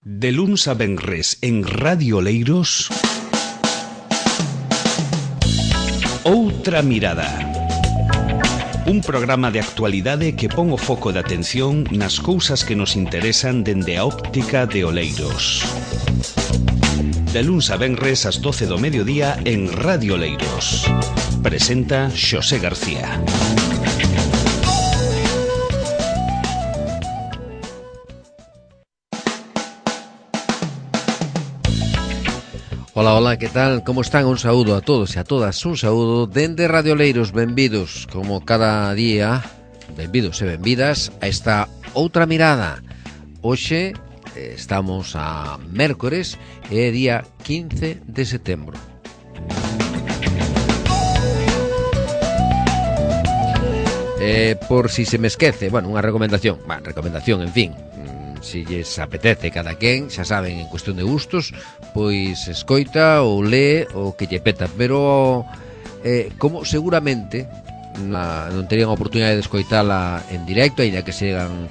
De luns a venres en Radio Oleiros, Outra Mirada. Un programa de actualidade que pon o foco de atención nas cousas que nos interesan dende a óptica de Oleiros. De luns a venres ás 12 do mediodía en Radio Oleiros. Presenta Xosé García. Hola, que tal? Como están? Un saúdo a todos e a todas. Un saúdo dende Radio Oleiros. Benvidos, como cada día, benvidos e benvidas a esta Outra Mirada. Hoxe estamos a mércores e día 15 de setembro. Por si se me esquece, bueno, unha recomendación, en fin. Se lles apetece cada quen, xa saben, en cuestión de gustos, pois escoita ou lee o que lle peta, pero como seguramente non terían a oportunidade de escoitala en directo, aínda que sean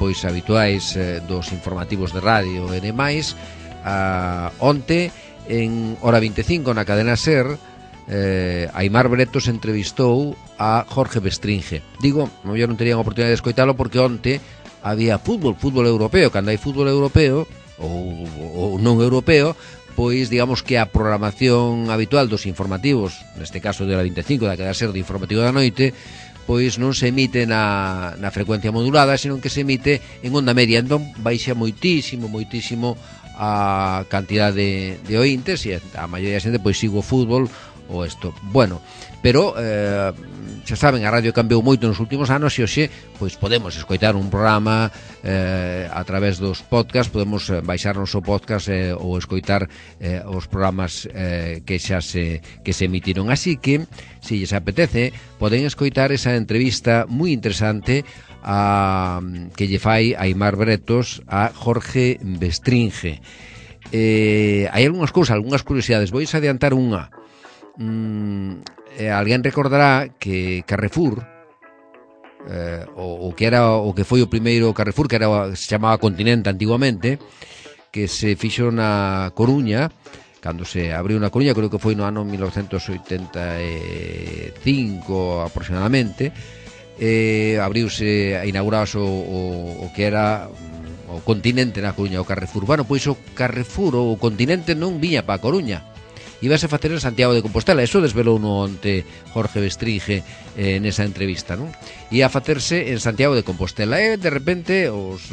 pois habituais dos informativos de radio e demais, onte en hora 25 na cadena SER, Aimar Bretos entrevistou a Jorge Bestringe. Digo, non terían a oportunidade de escoitalo porque onte había fútbol europeo. Cando hai fútbol europeo ou non europeo, pois digamos que a programación habitual dos informativos, neste caso de hora 25 da cadena SER de informativo da noite, pois non se emite na frecuencia modulada, senón que se emite en onda media. Entón baixa moitísimo a cantidade de ointes e a maioría da xente pois sigo o fútbol ou isto. Bueno, pero xa saben, a radio cambiou moito nos últimos anos e hoxe pois podemos escoitar un programa a través dos podcast, podemos baixarnos o podcast ou escoitar os programas que xa se emitiron. Así que, se lles apetece, poden escoitar esa entrevista moi interesante que lle fai Aimar Bretos a Jorge Bestringe. Hai algunhas cousas, algunhas curiosidades. Vais adiantar unha. Alguén recordará que Carrefour, o que foi o primeiro Carrefour, que se chamaba Continente antiguamente, que se fixo na Coruña, cando se abriu na Coruña, creo que foi no ano 1985 aproximadamente, inaurouse o que era o Continente na Coruña, o Carrefour. Bueno, pois o Carrefour ou o Continente non viña para a Coruña, ibase facer en Santiago de Compostela. Eso desvelou no onte Jorge Bestringe nesa entrevista, non? Ia facerse en Santiago de Compostela e de repente os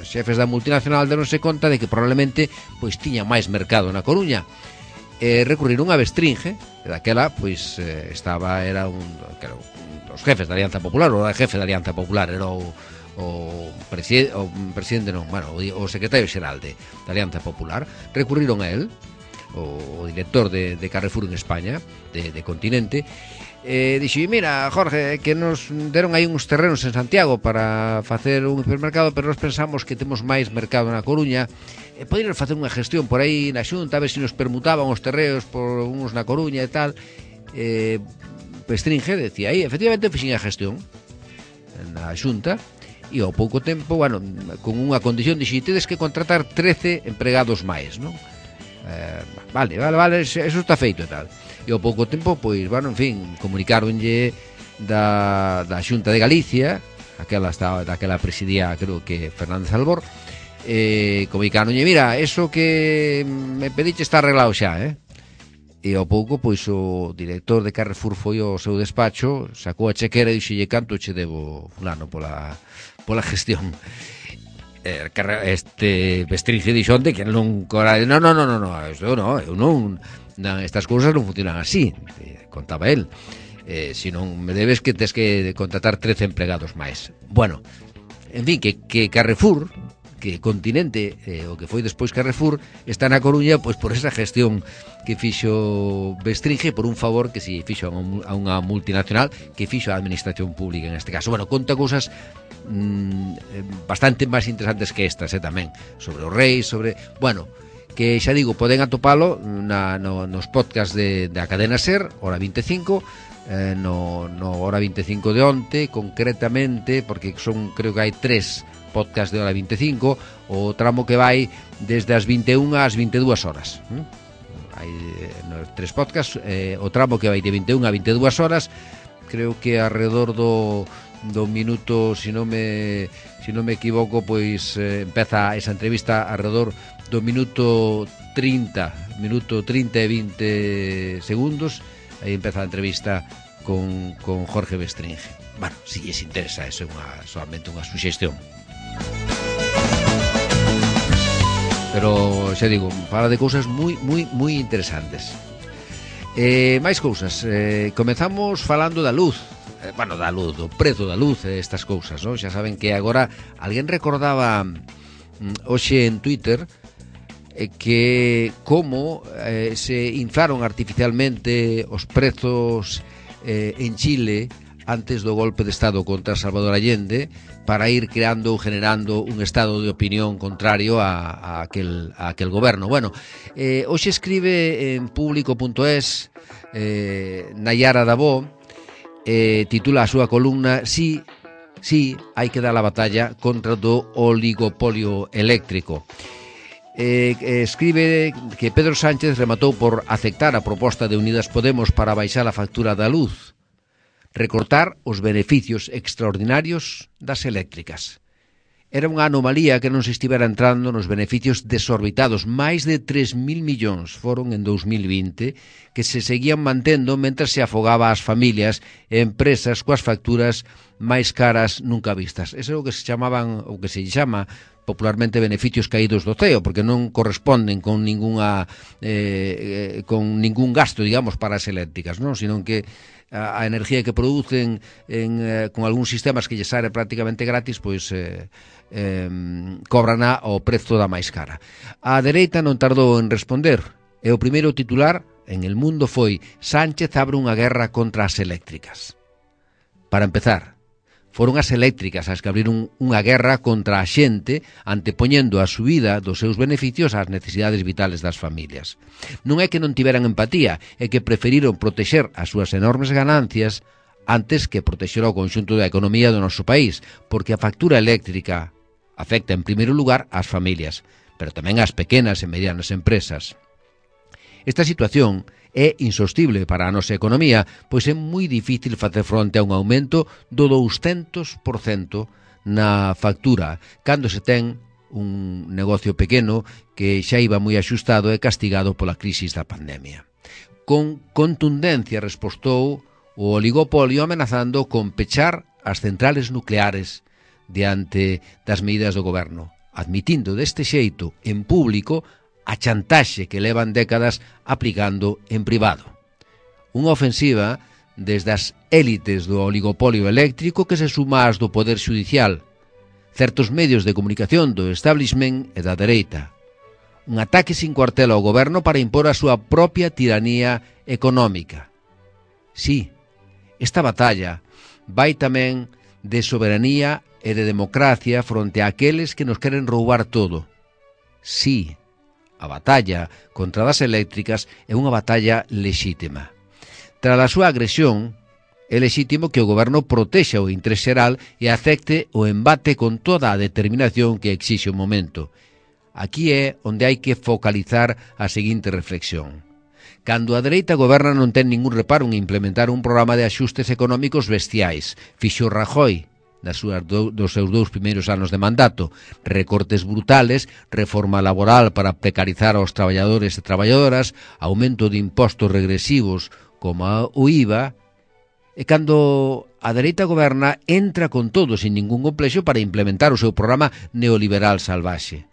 xefes da multinacional deronse conta de que probablemente pois tiña máis mercado na Coruña. Recurriron a Bestringe, daquela pois era un dos jefes da Alianza Popular, ou era jefe da Alianza Popular, era o presidente non, bueno, o secretario xeral da Alianza Popular. Recurriron a él, o director de Carrefour en España, de Continente, dixo: mira, Jorge, que nos deron aí uns terrenos en Santiago para facer un hipermercado, pero nós pensamos que temos máis mercado na Coruña, poderíamos facer unha gestión por aí na Xunta, a ver se nos permutaban os terreos por uns na Coruña e tal. Bestringe decía aí, efectivamente fixen a gestión na Xunta, e ao pouco tempo, bueno, con unha condición, dixo: tedes que contratar 13 empregados máis, non? Vale, eso está feito e tal. E ao pouco tempo, pois, bueno, en fin, comunicaronlle da Xunta de Galicia, daquela presidía, creo que Fernández Albor, comunicaronlle: mira, eso que me pediche está arreglado xa, E ao pouco, pois, o director de Carrefour foi ao seu despacho, sacou a chequera e dixolle: canto che debo, fulano, pola gestión? Bestringe dixo onte que non estas cousas non funcionan así, contaba el. Se non me debes, que tes que contratar 13 empregados máis. Bueno, en fin, que Carrefour, que Continente, o que foi despois Carrefour, está na Coruña pois por esa gestión que fixo Bestringe, por un favor que se fixo a unha multinacional, que fixo a administración pública en este caso. Bueno, conta cousas bastante máis interesantes que estas, tamén, sobre o rei, bueno, que xa digo, poden atopalo nos podcast da cadena SER, hora 25, no hora 25 de onte, concretamente, porque creo que hai 3 podcast de hora 25, o tramo que vai desde as 21 ás 22 horas. Hai nos 3 podcasts, o tramo que vai de 21 a 22 horas, creo que alrededor do minuto, si non me equivoco, pois empeza esa entrevista alrededor do minuto 30 e 20 segundos, aí empeza a entrevista con Jorge Bestringe. Bueno, si lles interesa, eso é solamente unha suxestión. Pero, xa digo, fala de cousas moi interesantes. Máis cousas. Comezamos falando da luz. Do prezo da luz, estas cousas, non? Xa saben que agora alguén recordaba hoxe en Twitter que como se inflaron artificialmente os prezos en Chile antes do golpe de Estado contra Salvador Allende, para ir creando ou generando un estado de opinión contrario a aquel goberno. Bueno, hoxe escribe en público.es Nayara Dabó, titula a súa columna Sí, hai que dar a batalla contra do oligopolio eléctrico. Escribe que Pedro Sánchez rematou por aceptar a proposta de Unidas Podemos para baixar a factura da luz, recortar os beneficios extraordinarios das eléctricas. Era unha anomalía que non se estivera entrando nos beneficios desorbitados, máis de 3.000 millóns foron en 2020, que se seguían mantendo mentre se afogaba as familias e empresas coas facturas máis caras nunca vistas. Eso é o que se chamaban, o que se chama popularmente beneficios caídos do ceo, porque non corresponden con ningún gasto, digamos, para as eléctricas, non? Sino que a enerxía que producen con algúns sistemas que lle sale prácticamente gratis, pois cobrana ao prezo da máis cara. A dereita non tardou en responder, e o primeiro titular en El Mundo foi: Sánchez abre unha guerra contra as eléctricas. Para empezar, foron as eléctricas as que abriron unha guerra contra a xente, antepoñendo a subida dos seus beneficios ás necesidades vitales das familias. Non é que non tiveran empatía, é que preferiron protexer as súas enormes ganancias antes que protexer o conxunto da economía do noso país, porque a factura eléctrica afecta en primeiro lugar ás familias, pero tamén ás pequenas e medianas empresas. Esta situación é insostible para a nosa economía, pois é moi difícil facer fronte a un aumento do 200% na factura, cando se ten un negocio pequeno que xa iba moi axustado e castigado pola crisis da pandemia. Con contundencia respostou o oligopolio amenazando con pechar as centrales nucleares diante das medidas do goberno, admitindo deste xeito en público a chantaxe que levan décadas aplicando en privado. Unha ofensiva desde as élites do oligopolio eléctrico que se suma ás do poder xudicial, certos medios de comunicación do establishment e da dereita. Un ataque sin cuartel ao goberno para impor a súa propia tiranía económica. Sí, esta batalla vai tamén de soberanía e de democracia fronte a aqueles que nos queren roubar todo. Sí, a batalla contra das eléctricas é unha batalla lexítima. Tras a súa agresión, é lexítimo que o goberno protexa o interés xeral e acepte o embate con toda a determinación que exixe o momento. Aquí é onde hai que focalizar a seguinte reflexión. Cando a dereita goberna non ten ningún reparo en implementar un programa de axustes económicos bestiais. Fixo Rajoy dos seus 2 primeiros anos de mandato, recortes brutales, reforma laboral para precarizar aos traballadores e traballadoras, aumento de impostos regresivos como o IVA, e cando a dereita goberna entra con todo sin ningún complexo para implementar o seu programa neoliberal salvaxe.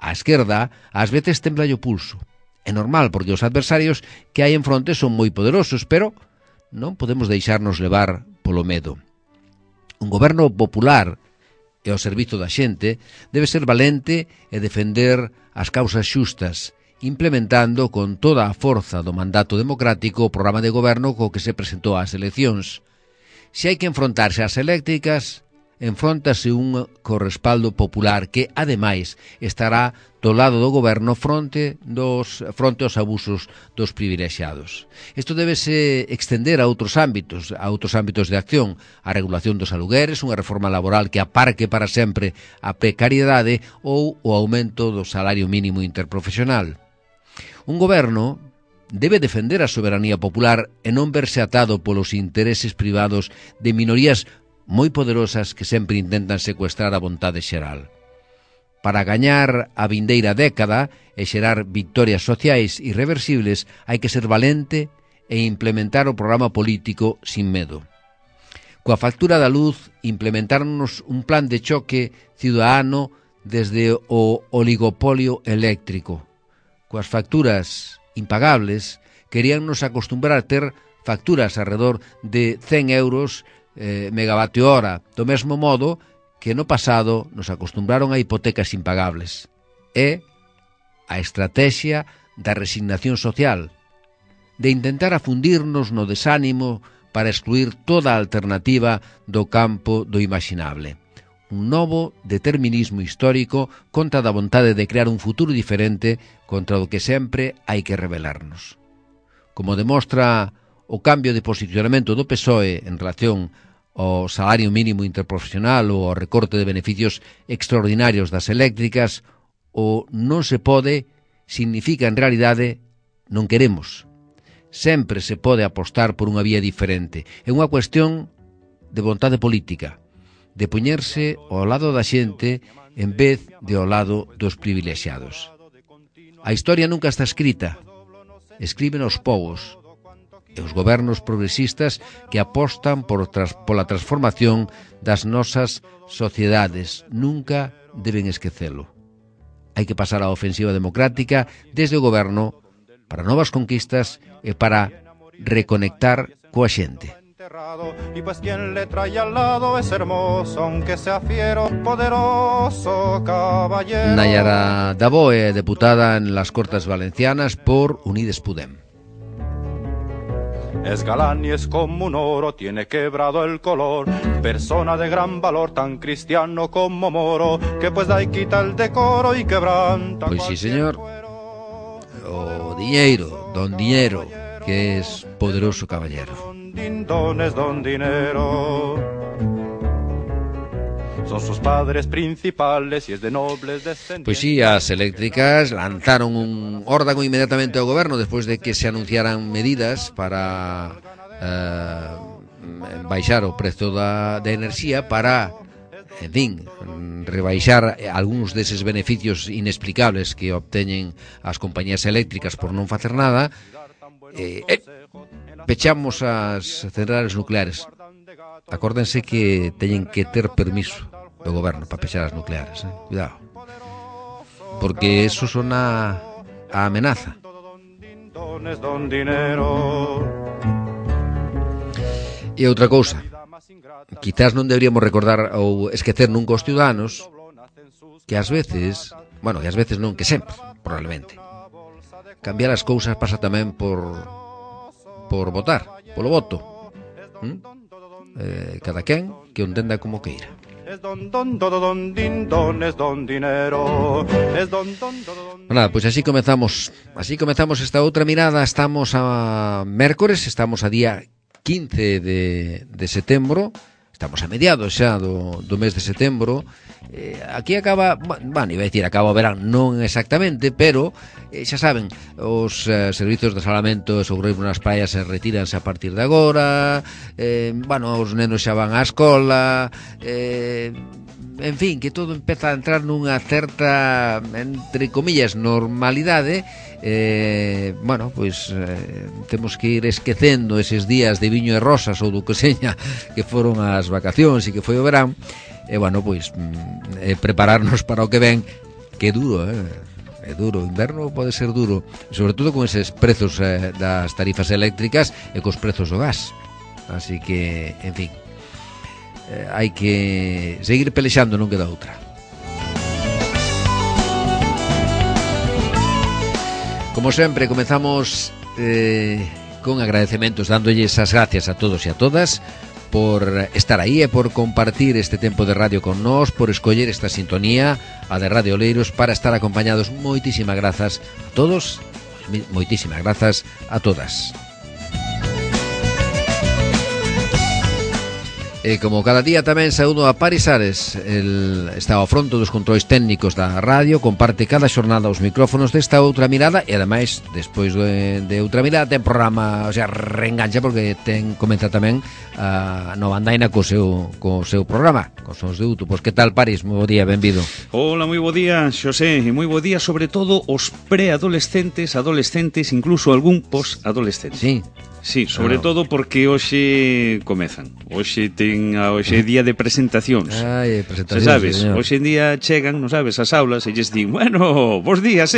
A esquerda ás veces temblalle o pulso. É normal, porque os adversarios que hai en fronte son moi poderosos, pero non podemos deixarnos levar polo medo. Un goberno popular e ao servizo da xente debe ser valente e defender as causas xustas, implementando con toda a forza do mandato democrático o programa de goberno co que se presentou ás eleccións. Se hai que enfrontarse ás eléctricas, enfróntase un co respaldo popular que, ademais, estará do lado do goberno fronte aos abusos dos privilexiados. Isto debese extender a outros ámbitos de acción, a regulación dos alugueres, unha reforma laboral que aparque para sempre a precariedade ou o aumento do salario mínimo interprofesional. Un goberno debe defender a soberanía popular e non verse atado polos intereses privados de minorías moi poderosas que sempre intentan secuestrar a vontade xeral. Para gañar a vindeira década e xerar victorias sociais irreversibles hai que ser valente e implementar o programa político sin medo. Coa factura da luz, implementarnos un plan de choque ciudadano desde o oligopolio eléctrico. Coas facturas impagables, queríannos acostumbrar a ter facturas alrededor de 100 euros megavatio hora, do mesmo modo que no pasado nos acostumbraron a hipotecas impagables. É a estrategia da resignación social, de intentar afundirnos no desánimo para excluir toda a alternativa do campo do imaginable. Un novo determinismo histórico contra da vontade de crear un futuro diferente contra o que sempre hai que rebelarnos. Como demostra o cambio de posicionamento do PSOE en relación ao salario mínimo interprofesional ou ao recorte de beneficios extraordinarios das eléctricas, o non se pode significa en realidade non queremos. Sempre se pode apostar por unha vía diferente. É unha cuestión de vontade política, de poñerse ao lado da xente en vez de ao lado dos privilexiados. A historia nunca está escrita, escriben os povos e os gobernos progresistas que apostan pola transformación das nosas sociedades. Nunca deben esquecelo. Hai que pasar á ofensiva democrática desde o goberno para novas conquistas e para reconectar coa xente. Y pues quien le trae al lado es hermoso, aunque sea fiero, poderoso caballero. Nayara Daboe, deputada en las Cortes Valencianas por Unides Podem. Es galán y es como un oro, tiene quebrado el color, persona de gran valor, tan cristiano como moro, que pues da y quita el decoro y quebranta. Pois sí, señor. O diñeiro, don Diñeiro, que es poderoso caballero. Don es don dinero. Son sus padres principales y es de nobles descendientes. Pois sí, as eléctricas lanzaron un órdago inmediatamente ao goberno despois de que se anunciaran medidas para baixar o prezo da enerxía para, en fin, rebaixar algúns deses beneficios inexplicables que obteñen as compañías eléctricas por non facer nada. Pechamos as centrales nucleares. Acórdense que teñen que ter permiso do goberno para pechar as nucleares, cuidado, porque eso son a amenaza. E outra cousa, quizás non deberíamos recordar ou esquecer nunca os ciudadanos que ás veces, bueno, que ás veces non, que sempre, probablemente, cambiar as cousas pasa tamén por votar, polo voto. Cada quen que o entenda como queira. Nada, pois así comezamos esta outra mirada. Estamos a mércores, estamos a día 15 de setembro. Estamos a mediados xa do mes de setembro. Aquí acaba, bueno, iba a decir acaba o verán, non exactamente, pero xa saben, os servizos de salamento e socorrismo nas praias se retíranse a partir de agora, bueno, os nenos xa van á escola, en fin, que todo empeza a entrar nunha certa, entre comillas, normalidade. Bueno, pois temos que ir esquecendo eses días de viño e rosas ou do que seña que foron as vacacións e que foi o verán. E bueno, pois prepararnos para o que ven, que é duro, é duro, o inverno pode ser duro, sobre todo con eses prezos das tarifas eléctricas e cos prezos do gas. Así que, en fin, hai que seguir pelexando, non queda outra. Como sempre, comezamos con agradecementos, dándolles as gracias a todos e a todas por estar aí e por compartir este tempo de radio con nós, por escoller esta sintonía, a de Radio Oleiros, para estar acompañados. Moitísimas grazas a todos, moitísimas grazas a todas. E como cada día tamén saúdo a Paris Ares, está ao fronto dos controis técnicos da radio, comparte cada xornada os micrófonos desta Outra Mirada e ademais, despois de Outra Mirada, ten programa, o sea, reengancha porque comenta tamén a Nova Andaina co seu programa, cos sons de Uto. Pois que tal, Paris? Moi bo día, benvido. Hola, moi bo día, Xosé, e moi bo día sobre todo os preadolescentes, adolescentes, incluso algún posadolescente. Sí. Sí, sobre todo porque hoxe comezan. Hoxe é día de presentacións. Ai, presentacións, sabes, señor. hoxe en día chegan, non sabes, as aulas e lles din, bueno, bos días,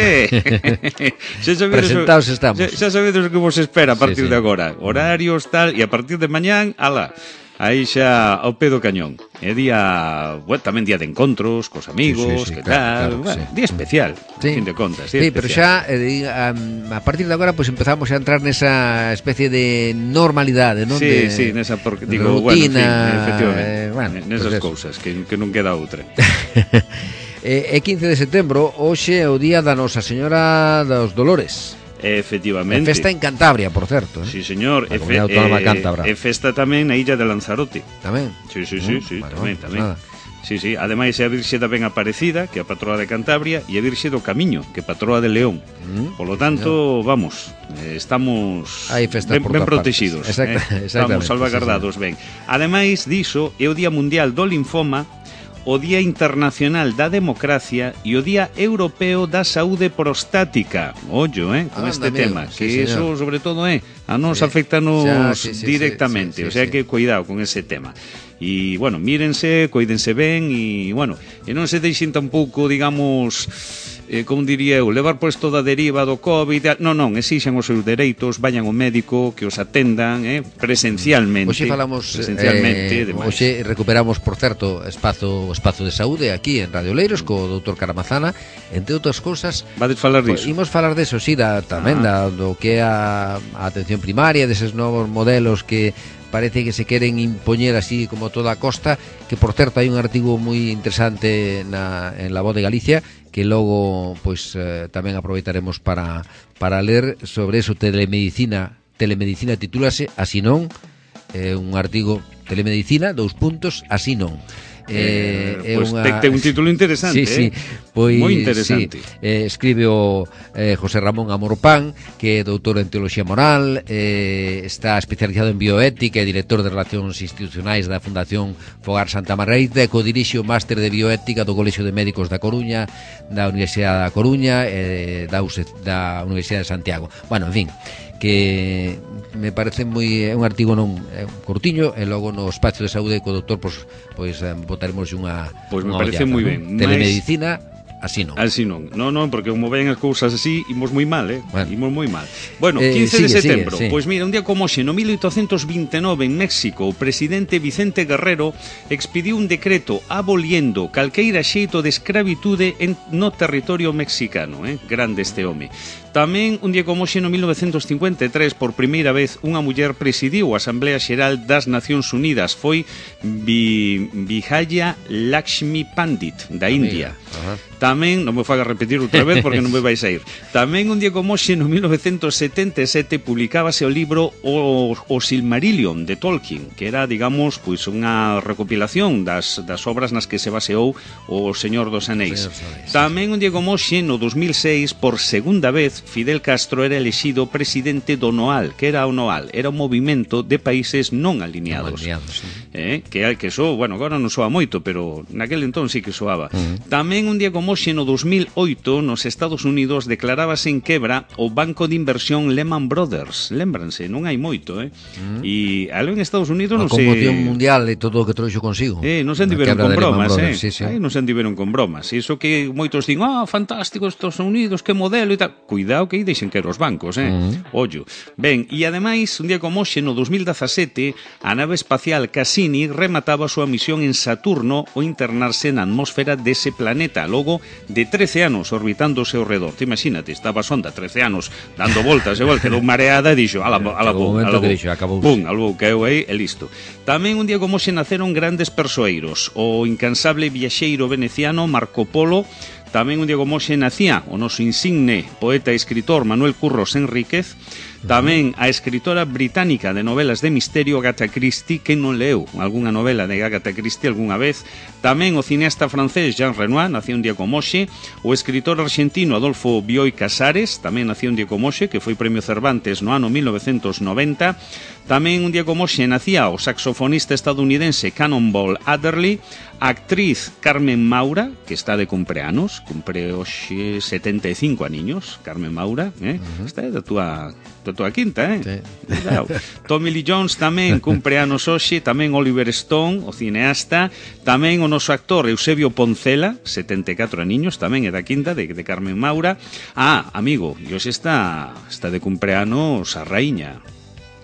Presentados estamos. Xa sabedes o que vos espera a partir sí. de agora. Horarios, tal, e a partir de mañán, ala, aí xa ao pé do cañón. É día, bueno, tamén día de encontros cos amigos, sí, que claro, tal, bueno, sí. día especial, Sí. fin de contas. Sí, pero xa a partir de agora pues empezamos a entrar nesa especie de normalidade, non? Sí, de, sí, nesa porque digo, rutina, bueno, en fin, efectivamente, nesas pues cousas que non queda outra. E 15 de setembro, hoxe é o día da Nosa Señora dos Dolores. Efectivamente. É festa en Cantabria, por certo, eh? Sí, señor. A Comunidade Autónoma Cántabra. É festa tamén na illa de Lanzarote. Tamén? Sí, Bueno, tamén. Sí, ademais é a Virxe da Ben Aparecida, que é a patroa de Cantabria, e a Virxe do Camiño, que é patroa de León. Polo tanto, vamos, estamos hai festas por ben todas protegidos. Exactamente. Estamos salvaguardados ben. Ademais diso, é o Día Mundial do Linfoma, o Día Internacional da Democracia e o Día Europeo da Saúde Prostática. Ollo, con este tema, que eso sobre todo a nos afectanos directamente, o sea que cuidado con ese tema. E, bueno, mírense, cuídense ben e, bueno, e non se deixen tampouco, digamos, como diría eu, levar por isto da deriva do COVID. Non, exixan os seus dereitos, vayan ao médico, que os atendan presencialmente. Hoxe falamos hoxe recuperamos, por certo, espazo de saúde aquí en Radio Oleiros co doutor Caramazana, entre outras cousas. Vades falar disso? Imos falar deso, sí, tamén do que é a atención primaria, deses novos modelos que parece que se queren impoñer así como toda a costa, que por certo hai un artigo moi interesante en La Voz de Galicia que logo pois tamén aproveitaremos para ler sobre eso. Telemedicina titúlase Así non, un artigo Telemedicina, así non. Pois ten un título interesante. Sí, pois moi interesante. Escribe o José Ramón Amorpán, que é doutor en Teoloxía Moral, está especializado en bioética e director de Relacións Institucionais da Fundación Fogar Santa Margarita, e codirixe o máster de bioética do Colexio de Médicos da Coruña, da Universidade da Coruña e da Universidade de Santiago. Bueno, en fin, que me parece moi un artigo curtiño, e logo no espacio de saúde co doutor pois botaremos unha me parece moi ben. Telemedicina Así non. Así non. Non, porque como ven as cousas así, imos moi mal, Bueno. Imos moi mal. Bueno, 15 de setembro. Sigue. Pois mira, un día como hoxe, no 1829, en México, o presidente Vicente Guerrero expidiu un decreto aboliendo calqueira xeito de escravitude no territorio mexicano, Grande este home. Tamén, un día como hoxe, no 1953, por primeira vez, unha muller presidiu a Asamblea Xeral das Nacións Unidas. Foi Vijaya Lakshmi Pandit, da India. Tamén, non me faga repetir outra vez porque non me vais a ir. Tamén, un día como hoxe, no 1977, publicábase o libro O Silmarillion, de Tolkien, que era, digamos, pois unha recopilación das obras nas que se baseou o Señor dos Anéis. Tamén, un día como hoxe, no 2006, por segunda vez, Fidel Castro era elexido presidente do NOAL. Que era o NOAL? Era un movimento de países non alineados. Que eso, bueno, agora non soa moito, pero naquele entón sí que soaba. Tamén, un día como hoxe, no 2008, nos Estados Unidos declarábase en quebra o banco de inversión Lehman Brothers. Lembranse, non hai moito, E algo en Estados Unidos non se... A conmoción mundial e todo o que trouxo consigo. Non se andiveron con bromas, Sí. Non se andiveron con bromas. Iso que moitos din, fantástico Estados Unidos, que modelo e tal. Cuidado que aí deixen que os bancos, Ollo. Ben, e ademais, un día como hoxe, no 2017, a nave espacial Cassini Cassini remataba a súa misión en Saturno ao internarse na atmósfera dese planeta logo de 13 anos orbitándose ao redor. Te imagínate, estaba a sonda 13 anos dando voltas, igual quedou mareada e dixo, alabou, caeu aí e listo. Tamén un día como se naceron grandes persoeiros, o incansable viaxeiro veneciano Marco Polo. Tamén un día como hoxe nacía o noso insigne poeta e escritor Manuel Curros Enríquez. Tamén a escritora británica de novelas de misterio Agatha Christie, que non leu algunha novela de Agatha Christie algunha vez. Tamén o cineasta francés Jean Renoir, nacía un día como hoxe. O escritor argentino Adolfo Bioy Casares, tamén nacía un día como hoxe, que foi premio Cervantes no ano 1990. Tamén un día como hoxe nacía o saxofonista estadounidense Cannonball Adderley. A actriz Carmen Maura, que está de cumpleanos, cumpre hoxe 75 aniños, Carmen Maura, Esta é da tua quinta, Sí. Tommy Lee Jones tamén cumpleanos hoxe, tamén Oliver Stone, o cineasta, tamén o noso actor Eusebio Poncela, 74 aniños, tamén é da quinta de Carmen Maura. Amigo, e hoxe está de cumpleanos a raíña.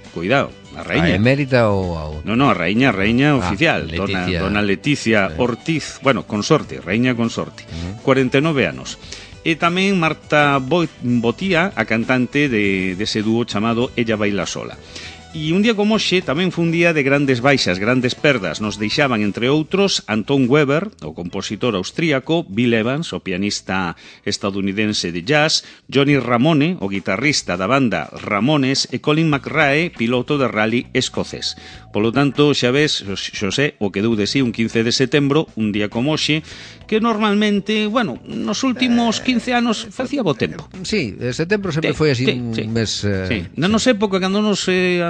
Cuidado, a raíña. A emérita ou a outra? No, a raíña oficial, Leticia. Dona Leticia Ortiz, bueno, consorte, raíña consorte, 49 anos. E tamén Marta Botía, a cantante dese dúo chamado Ella Baila Sola. E un día como hoxe tamén foi un día de grandes baixas, grandes perdas. Nos deixaban, entre outros, Anton Weber, o compositor austríaco, Bill Evans, o pianista estadounidense de jazz, Johnny Ramone, o guitarrista da banda Ramones, e Colin McRae, piloto de rally escocés. Polo tanto, xa ves, Xosé, o que deu de sí un 15 de setembro, un día como hoxe, que normalmente, bueno, nos últimos 15 anos facía bo tempo. Sí, setembro sempre foi así un mes... Na nosa época, cando nos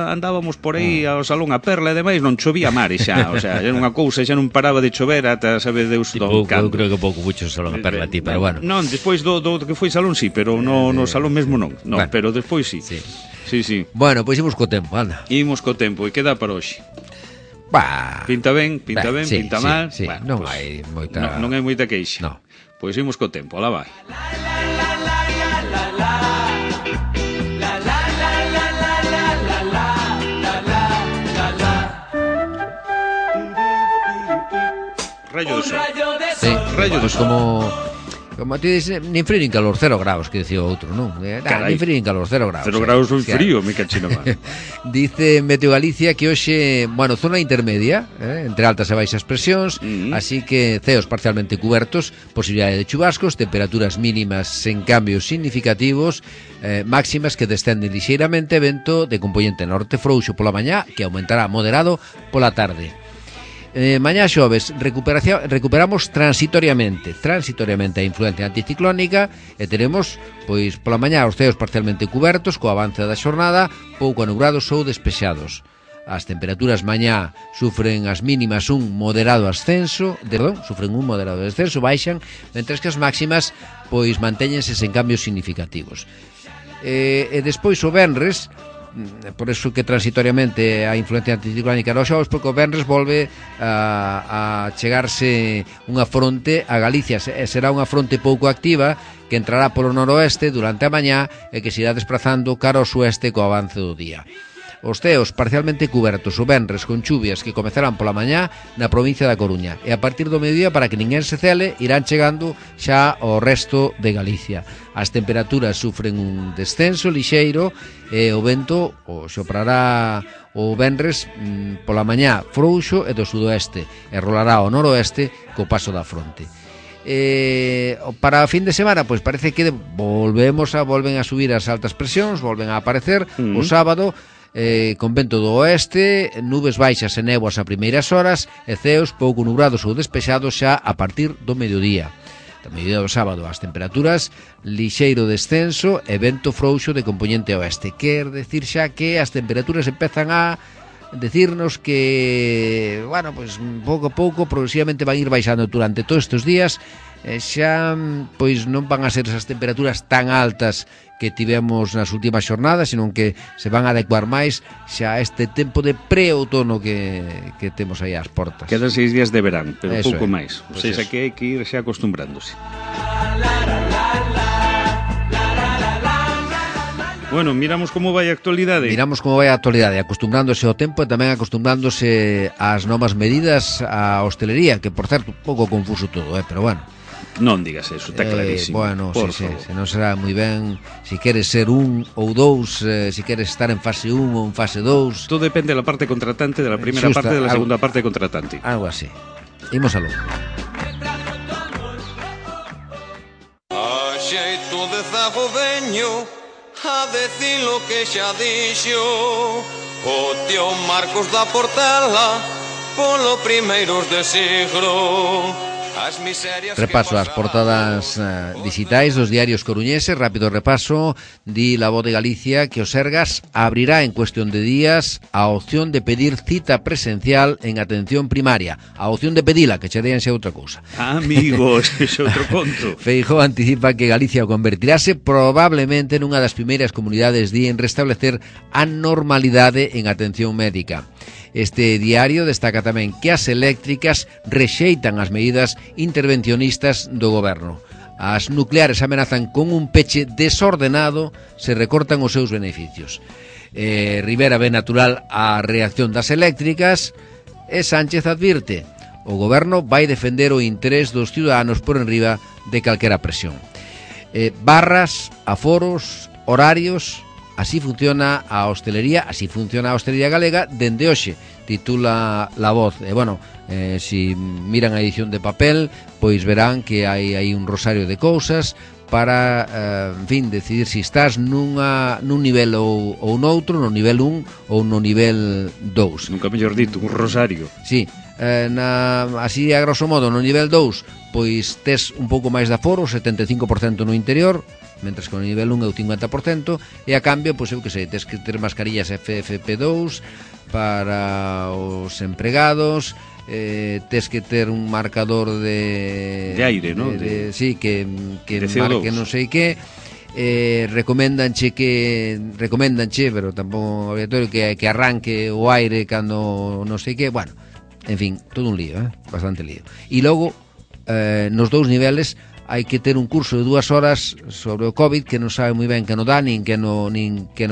andábamos por aí ao Salón A Perla e demais, non chovía mare xa, o sea, era unha cousa, xa non paraba de chover ata sabe Deus do cando. Eu creo que pouco mucho Salón A Perla ti, pero bueno. Non, despois do que foi Salón sí, pero no Salón mesmo non. No, bueno, pero despois sí. Sí. Bueno, pois imos co tempo, anda. Imos co tempo, e queda para hoxe. Pinta ben, pinta mal. Sí. Bueno, non hai moita... Non hai moita queixa. No. Pois imos co tempo, alá vai. Rayo de sol. Sí, rayo de sol. Como ti dices, nin frío nin calor, 0 graus, que dicía outro, non? Nin frío nin calor, 0 graus. 0 graus foi frío, me cachino mal. Dice Meteo Galicia que hoxe, bueno, zona intermedia, entre altas e baixas presións, así que ceos parcialmente cubertos, posibilidade de chubascos, temperaturas mínimas sen cambios significativos, máximas que descenden lixeiramente, vento de componente norte frouxo pola mañá, que aumentará moderado pola tarde. Mañá xoves recuperamos transitoriamente a influencia anticiclónica e teremos, pois, pola mañá os ceos parcialmente cubertos co avance da xornada, pouco anubrados ou despexados. As temperaturas mañá sufren as mínimas un moderado ascenso, baixan, mentres que as máximas, pois, mantéñense sen cambios significativos. E despois o venres, por eso que transitoriamente a influencia anticiclónica dos xogos, porque o venres volve a chegarse unha fronte a Galicia, será unha fronte pouco activa que entrará polo noroeste durante a mañá e que se irá desplazando cara ao sueste co avance do día. Os ceos parcialmente cubertos o venres con chuvias que comezarán pola mañá na provincia da Coruña e a partir do mediodía, para que ninguén se cele, irán chegando xa ao resto de Galicia. As temperaturas sufren un descenso lixeiro e o vento soprará o venres pola mañá frouxo e do sudoeste e rolará ao noroeste co paso da fronte. Para a fin de semana, pois parece que volven a subir as altas presións, volven a aparecer o sábado, con vento do oeste, nubes baixas e néboas a primeiras horas e ceos pouco nubrados ou despexados xa a partir do mediodía. Do mediodía do sábado as temperaturas lixeiro descenso e vento frouxo de componente oeste. Quer decir xa que as temperaturas empezan a decirnos que, bueno, pues pouco a pouco progresivamente van ir baixando durante todos estes días. Xa, pois non van a ser esas temperaturas tan altas que tivemos nas últimas xornadas, senón que se van a adecuar máis xa a este tempo de pre-outono que temos aí ás portas. Quedan 6 días de verán, pero eso pouco máis. O sea, que hai que ir xa acostumbrándose. Bueno, miramos como vai a actualidade. Miramos como vai a actualidade, acostumbrándose ao tempo e tamén acostumbrándose ás novas medidas a hostelería, que por certo, un pouco confuso todo, pero bueno. Non digas eso, está clarísimo. Bueno, sí, se non será moi ben si queres ser un ou dous, si queres estar en fase 1 ou en fase 2. Todo depende da parte contratante, da primeira parte e da segunda parte contratante. Algo así. Imos aló. A xeito de zagodeño, a decir lo que xa dixo o tío Marcos da Portela polo primeiros de siglo. Repaso as portadas digitais dos diarios coruñeses. Rápido repaso. Di La Voz de Galicia que o Sergas abrirá en cuestión de días a opción de pedir cita presencial en atención primaria. A opción de pedila, que cheríanse outra cousa. Amigos, ese outro conto. Feijóo anticipa que Galicia convertirase probablemente nunha das primeiras comunidades en restablecer a normalidade en atención médica. Este diario destaca tamén que as eléctricas rexeitan as medidas intervencionistas do goberno. As nucleares amenazan con un peche desordenado se recortan os seus beneficios. Rivera ve natural a reacción das eléctricas e Sánchez advirte: o goberno vai defender o interés dos ciudadanos por enriba de calquera presión. Barras, aforos, horarios... Así funciona a hostelería galega dende hoxe, titula La Voz. Si miran a edición de papel, pois verán que hai un rosario de cousas para, decidir se estás nun nivel ou noutro, no nivel 1 ou no nivel 2. Nunca mellor dito, un rosario. Sí, así a grosso modo, no nivel 2, pois tes un pouco máis de aforo, 75% no interior, mentres que no nivel 1 é o 50%, e a cambio, pois eu que sei, tes que ter mascarillas FFP2 para os empregados, tes que ter un marcador de aire, non? Sí, que marque non sei que. Recoméndanche, pero tampouco obrigatorio que arranque o aire cando non sei que. Bueno, en fin, todo un lío, bastante lío. E logo, nos dous niveles hai que ter un curso de 2 horas sobre o COVID que non sabe moi ben que non dá, nin que non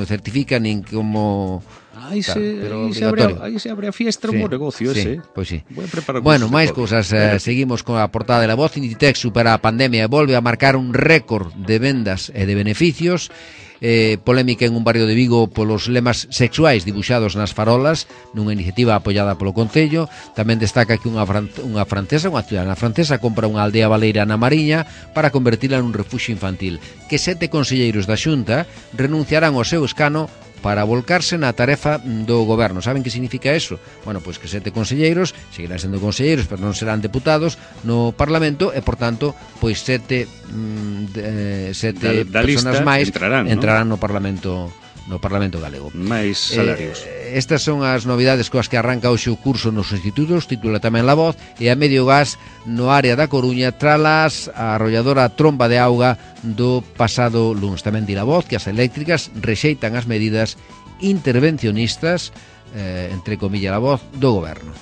certifica, nin como... Aí se abre a fiestra, un bo negocio ese. Pois sí. Bueno, máis cousas. Seguimos con a portada de La Voz. Inditex supera a pandemia e volve a marcar un récord de vendas e de beneficios. Polémica en un barrio de Vigo polos lemas sexuais dibuixados nas farolas, nunha iniciativa apoiada polo Concello. Tamén destaca que unha ciudadana francesa compra unha aldea baleira na Mariña para convertila nun refuxio infantil, que 7 conselleiros da Xunta renunciarán ao seu escano para volcarse na tarefa do goberno. Saben que significa eso? Bueno, pois que 7 conselleiros seguirán sendo conselleiros, pero non serán deputados no Parlamento e, por tanto, pois 7 personas máis entrarán no Parlamento galego. Mais salarios. Estas son as novidades coas que arranca hoxe o curso nos institutos, titula tamén La Voz, e a medio gas no área da Coruña tralas a arrolladora tromba de auga do pasado luns. Tamén di La Voz que as eléctricas rexeitan as medidas intervencionistas, entre comillas La Voz, do goberno.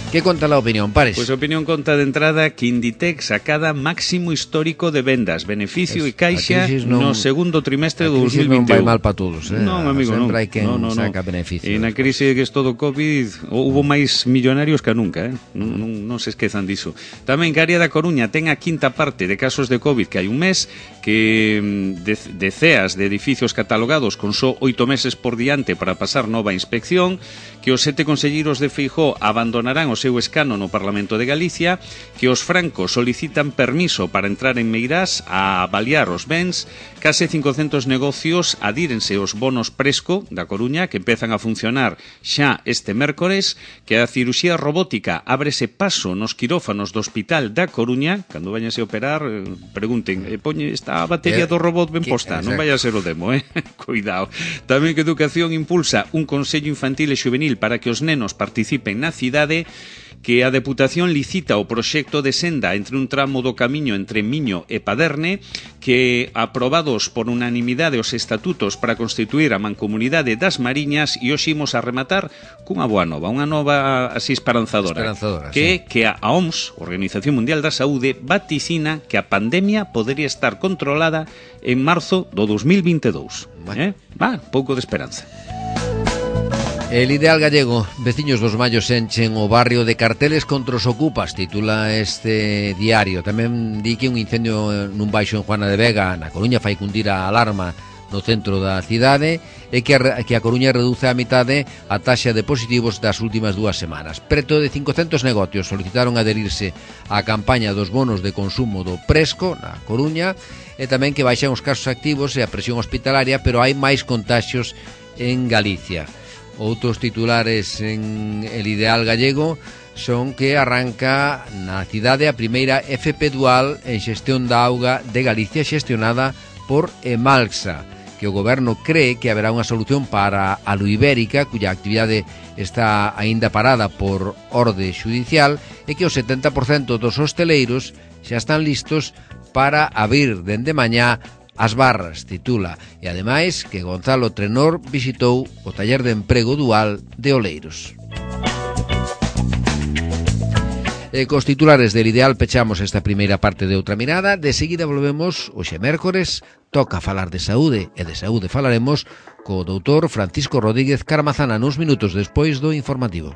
Que conta a opinión, Pares? Pois a opinión conta de entrada que Inditex acada máximo histórico de vendas, beneficio e caixa no segundo trimestre do 2021. Non vai mal para todos, Non, amigo, non. Sempre hai quen saca beneficio. E na crise que estou do COVID houve máis millonarios que nunca, non se esquezan diso. Tamén que a área da Coruña ten a quinta parte de casos de COVID que hai un mes, que deceas de edificios catalogados con só 8 meses por diante para pasar nova inspección, que os 7 conselleiros de Feijóo abandonarán o seu escano no Parlamento de Galicia, que os francos solicitan permiso para entrar en Meirás a avaliar os bens, case 500 negocios adírense aos bonos Presco da Coruña, que empezan a funcionar xa este mércores, que a ciruxía robótica ábrese paso nos quirófanos do Hospital da Coruña. Cando vayanse a operar, pregunten, poñe esta batería do robot ben posta, non vai a ser o demo, cuidado. Tamén que Educación impulsa un consello infantil e xuvenil para que os nenos participen na cidade, que a Deputación licita o proxecto de senda entre un tramo do camiño entre Miño e Paderne, que aprobados por unanimidade os estatutos para constituir a Mancomunidade das Mariñas, e hoxe imos a rematar cunha boa nova, unha nova así esperanzadora, que a OMS, Organización Mundial da Saúde, vaticina que a pandemia podería estar controlada en marzo do 2022. Pouco de esperanza. El Ideal Gallego, veciños dos Mallos enchen o barrio de carteles contra os ocupas, titula este diario. Tamén di que un incendio nun baixo en Juana de Vega, na Coruña, fai cundir a alarma no centro da cidade, e que a Coruña reduce a mitade a taxa de positivos das últimas 2 semanas. Preto de 500 negocios solicitaron adherirse á campaña dos bonos de consumo do Presco na Coruña, e tamén que baixan os casos activos e a presión hospitalaria, pero hai máis contaxios en Galicia. Outros titulares en El Ideal Gallego son que arranca na cidade a primeira FP dual en xestión da auga de Galicia, xestionada por Emalsa, que o goberno cree que haberá unha solución para a Luibérica, cuya actividade está aínda parada por orde xudicial, e que o 70% dos hosteleiros xa están listos para abrir dende mañá as barras, titula, e ademais que Gonzalo Trenor visitou o taller de emprego dual de Oleiros. E cos titulares del Ideal pechamos esta primeira parte de Outra Mirada. De seguida volvemos hoxe mércores, toca falar de saúde, e de saúde falaremos co doutor Francisco Rodríguez Caramazana nos minutos despois do informativo.